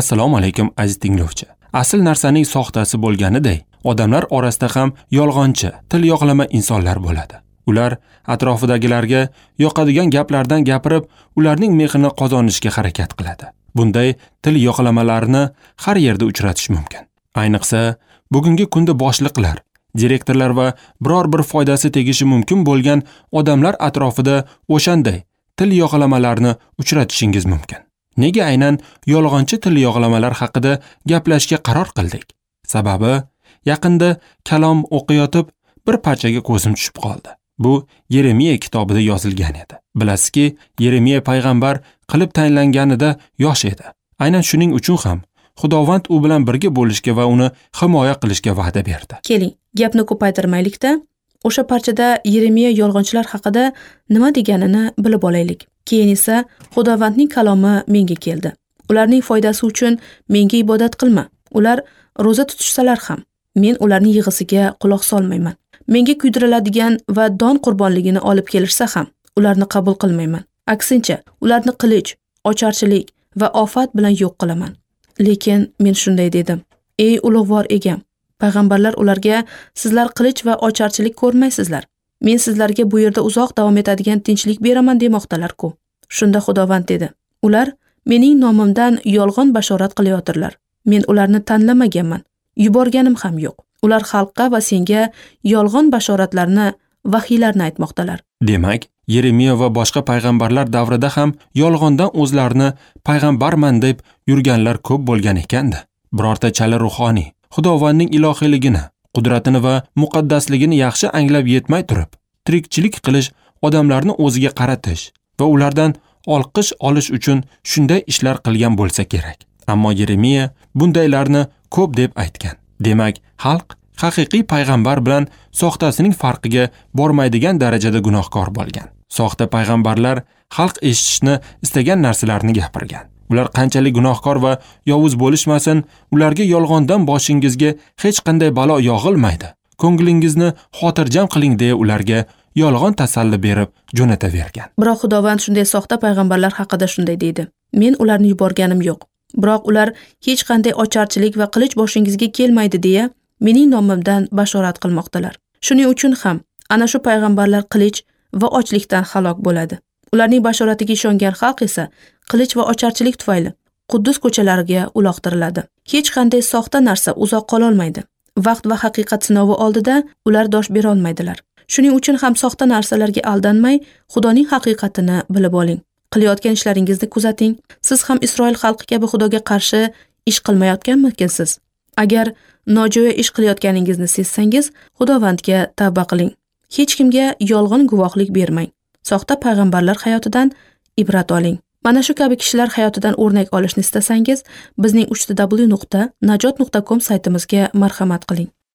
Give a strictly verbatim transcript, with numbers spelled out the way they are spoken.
Assalomu alaykum aziz tinglovchi. Asl narsaning soxtasi bo'lganiday, odamlar orasida ham yolg'onchi, til yoqlama insonlar bo'ladi. Ular atrofidagilarga yoqadigan gaplardan gapirib, ularning mehrini qozonishga harakat qiladi. Bunday til yoqlamalarni har yerda uchratish mumkin. Ayniqsa, bugungi kunda boshliqlar, direktorlar va biror bir foydasi tegishi mumkin bo'lgan odamlar atrofida o'shanday til yoqlamalarni uchratishingiz mumkin. Nega aynan yolg'onchi til yoqlamalar haqida gaplashishga qaror qildik? Sababi, yaqinda kalom o'qiyotib bir parchaga ko'zim tushib qoldi. Bu Yeremiya kitobida yozilgan edi. Bilasizki, Yeremiya payg'ambar qilib tayinlanganida yosh edi. Aynan shuning uchun ham Xudovand u bilan birga bo'lishga va uni himoya qilishga va'da berdi. Keling, gapni ko'paytirmaylikda, o'sha parchada Yeremiya yolg'onchilar haqida nima deganini bilib olaylik. Keyin esa Xudovandning kalomi menga keldi. Ularning foydasi uchun menga ibodat qilma. Ular ro'za tutishsalar ham, men ularning yig'isiga quloq solmayman. Menga kuydiriladigan va don qurbonligini olib kelishsa ham, ularni qabul qilmayman. Aksincha, ularni qilich, ocharchilik va ofat bilan yo'q qilaman. Lekin men shunday dedim: Ey ulug'vor egam, payg'ambarlar ularga sizlar qilich va ocharchilik ko'rmaysizlar. Men sizlarga bu yerda uzoq davom etadigan tinchlik beraman demoqdalar-ku. Shunda Xudovand dedi: Ular mening nomimdan yolg'on bashorat qilayotirlar. Men ularni tanlamaganman, yuborganim ham yo'q. Ular xalqqa va senga yolg'on bashoratlarni, vahiylarni aytmoqdalar. Demak, Yeremiya va boshqa payg'ambarlar davrida ham yolg'ondan o'zlarini payg'ambarman deb yurganlar ko'p bo'lgan ekanda. Birorta chala ruhoniy Xudovandning ilohiyligini, qudratini va muqaddasligini yaxshi anglab yetmay turib, tirikchilik qilish, odamlarni o'ziga qaratish va ulardan olqish olish uchun shunday ishlar qilgan bo'lsa kerak. Ammo Yeremiya bundaylarni ko'p deb aytgan. Demak, xalq haqiqiy payg'ambar bilan soxtasining farqiga bormaydigan darajada gunohkor bo'lgan. Soxta payg'ambarlar xalq eshitishni istagan narsalarni gapirgan. Ular qanchalik gunohkor va yovuz bo'lishmasin, ularga yolg'ondan boshingizga hech qanday balo yog'ilmaydi. Ko'nglingizni xotirjam qiling deya ularga yolg'on tasalli berib jo'natavergan. Biroq Xudovand shunday soxta payg'ambarlar haqida shunday deydi: Men ularni yuborganim yo'q. Biroq ular hech qanday ocharchilik va qilich boshingizga kelmaydi deya mening nomimdan bashorat qilmoqdalar. Shuning uchun ham ana shu payg'ambarlar qilich va ochlikdan halok bo'ladi. Ularning bashoratiga ishongan xalq esa qilich va ocharchilik tufayli Quddus ko'chalariga uloqtiriladi. Hech qanday soxta narsa uzoq qola olmaydi. Vaqt va haqiqat sinovi oldida ular dosh bera olmaydilar. Shuning uchun ham soxta narsalarga aldanmay, Xudoning haqiqatini bilib oling. Qilayotgan ishlaringizni kuzating. Siz ham Isroil xalqi kabi Xudoga qarshi ish qilmayotganmikinsiz? Agar nojo'ya ish qilayotganingizni sezsangiz, Xudovandga tavba qiling. Hech kimga yolg'on guvohlik bermang. Soxta payg'ambarlar hayotidan ibrat oling. Mana shu kabi kishilar hayotidan o'rnak olishni istasangiz, bizning uch w nuqta najot nuqta com saytimizga marhamat qiling.